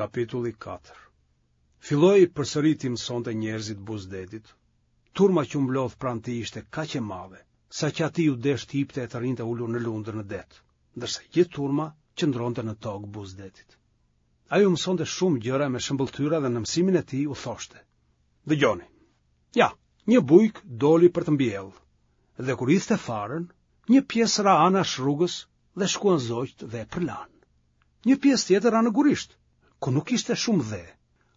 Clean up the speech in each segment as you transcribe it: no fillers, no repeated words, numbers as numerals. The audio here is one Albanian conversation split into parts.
Kapitulli 4 Filloi përsëri t'i mësonte njerëzit buzë detit. Turma që u mblodh pranë tij ishte kaq e madhe, saqë atij iu desh të hipte e të rrinte ulur në lundër në det, ndërsa gjithë turma qëndronte në tokë buzë detit. Ai u mësonte shumë gjëra me shëmbëlltyra dhe në mësimin e tij u thoshte: Dëgjoni. Ja, një bujk doli për të mbjellë, dhe kur hidhte farën, një pjesë ra anash rrugës dhe shkuan zogjtë dhe e përlanë. Një pjesë tjetër ra në gurisht, ku nuk ishte shumë dhe.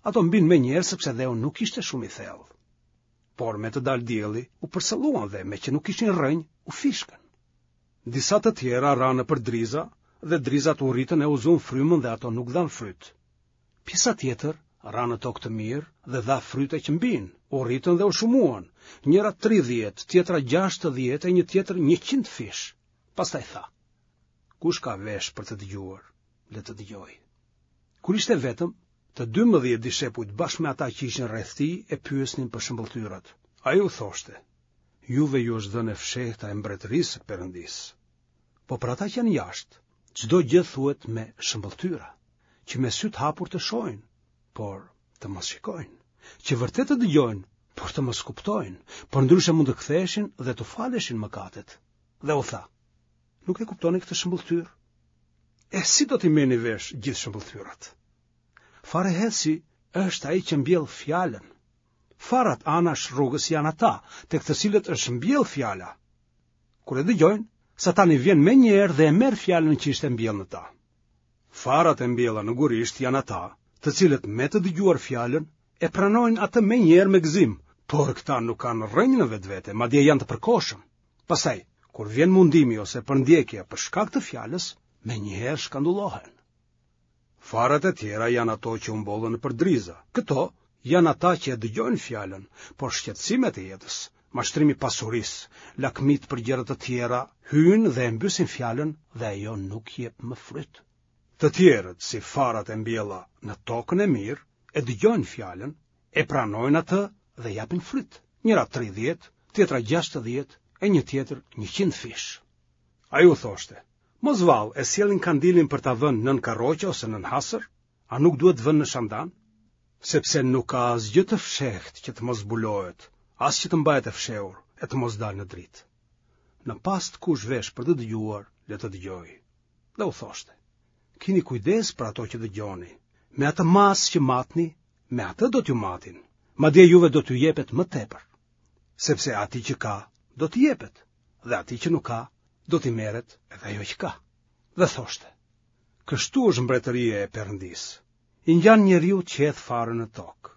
Ato mbinë menjëherë sepse dheu nuk ishte shumë i thellë. Por me të dalë dielli, u përsëlluan dhe meqë nuk kishin rrënjë, u fishkën. Disa të tjera ranë nëpër driza dhe drizat u rritën e u zunë frymën dhe ato nuk dhanë fryt. Pjesa tjetër ra në tokë të mirë dhe dha fryte që mbinë, u rritën dhe u shumuan, njëra 30, tjetra 60 e një tjetër 100 fish. Pastaj tha, kush ka vesh për të dëgjuar, le të dëgjojë. Kur ishte vetëm, të 12 dishepujt bashkë me ata që ishin rreth tij e pyesnin për shëmbëlltyrat. Ai u thoshte, juve ju është dhënë e fshehta e mbretërisë së Perëndisë. Po për ata që janë jashtë, çdo gjë thuhet me shëmbëlltyra, që me sy të hapur të shohin, por të mos shikojnë, që vërtet të dëgjojnë, por të mos kuptojnë, përndryshe mund të ktheheshin dhe t'u faleshin mëkatet. Dhe u tha, nuk e kuptoni këtë shëmbëlltyrë? E si do t'i merrni vesh gjithë shëmbëlltyrat? Farëhedhësi është ai që mbjell fjalën. Farat anash rrugës janë ata, tek të cilët është mbjellë fjala. Kur e dëgjojnë, Satani vjen menjëherë dhe e merr fjalën që ishte mbjellë në ta. Farat e mbjella në gurisht janë ata, të cilët me të dëgjuar fjalën, e pranojnë atë menjëherë me gëzim, por këta nuk kanë rrënjë në vetvete, madje janë të përkohshëm. Pastaj, kur vjen mundimi ose përndjekja për shkak të fjalës, menjëherë shkandullohen. Farat e tjera janë ato që u mbollën nëpër driza. Këto janë ata që e dëgjojnë fjalën, por shqetësimet e jetës, mashtrimi i pasurisë, lakmitë për gjëra të tjera, hyjnë dhe e mbysin fjalën dhe ajo nuk jep më fryt. Të tjerët, si farat e mbjella në tokën e mirë, e dëgjojnë fjalën, e pranojnë atë dhe japin fryt, njëra 30, tjetra 60 e një tjetër 100 fish. Ai u thoshte, mos vallë e sjellin kandilin për ta vënë nën karroqe ose nën hasër, a nuk duhet vënë në shandan? Sepse nuk ka asgjë të fshehtë që të mos zbulohet, as që të mbahet e fshehur e të mos dalë në dritë. Në pastë kush vesh për të dëgjuar, le të dëgjojë. Dhe u thoshte, kini kujdes për ato që dëgjoni, me atë masë që matni, me atë do t'ju matin, madje juve do t'ju jepet më tepër. Sepse atij që ka, do t'i jepet, dhe atij që nuk ka, do t'i merret edhe ajo që ka. Dhe thoshte, kështu është mbretëria e Perëndisë, i ngjan njeriut që hedh farën në tokë.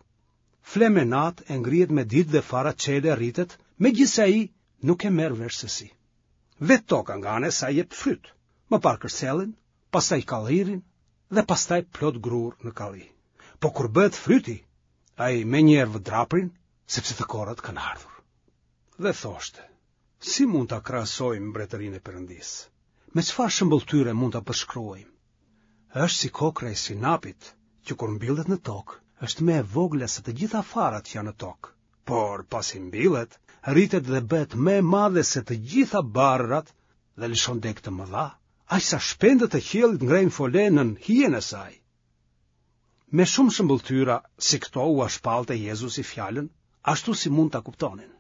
Fle me natë e ngrihet me ditë dhe fara çel e rritet, megjithëse ai nuk e merr vesh se si. Vetë toka nga ana e saj jep fryt, më parë kërcellin, pastaj kallirin dhe pastaj plot grurë në kalli. Po kur bëhet fryti, ai menjëherë vë draprin, sepse të korrat kanë ardhur. Dhe thoshte, si mund ta krahasojmë mbretërinë e Perëndisë? Me çfarë shëmbëlltyre mund ta përshkruajmë? Është si kokrra e sinapit, që kur mbillet në tokë, është më e vogla se të gjitha farat që janë në tokë. Por pasi mbillet, rritet dhe bëhet më e madhe se të gjitha barërat dhe lëshon degë të mëdha, aq sa shpendët e qiellit ngrejnë fole nën hijen e saj. Me shumë shëmbëlltyra si këto ua shpallte Jezusi fjalën, ashtu si mund ta kuptonin.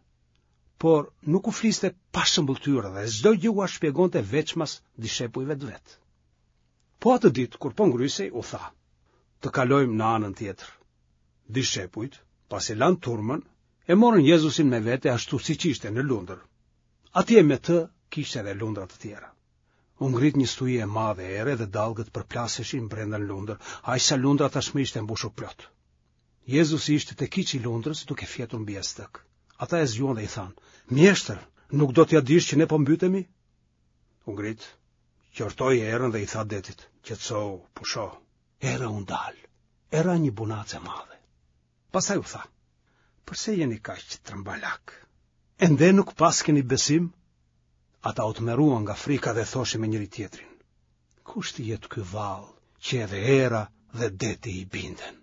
Por nuk u fliste pa shëmbëlltyra dhe çdo gjë ua shpjegonte veçmas dishepujve të vet. Po atë ditë kur po ngrysej u tha: Të kalojmë në anën tjetër. Dishepujt, pasi lanë turmën, e morën Jezusin me vete ashtu siç ishte në lundër. Atje me të kishte edhe lundra të tjera. U ngrit një stuhi e madhe ere dhe dallgët përplaseshin brenda në lundër, aq sa lundra tashmë ishte mbushur plot. Jezusi ishte te kyçi i lundrës duke fjetur mbi jastëk. Ata e zgjuan dhe i thanë: "Mjeshtër, nuk do t'ia dish që ne po mbytemi?" U ngrit, qortoi erën dhe i tha detit: "Qetësohu, pusho." Era u ndal. E ra një bunacë e madhe. Pastaj u tha: "Përse jeni kaq trembalakë? Ende nuk paskeni besim?" Ata u tmerruan nga frika dhe thoshin me njëri-tjetrin: Kush të jetë ky vallë që edhe era dhe deti i binden?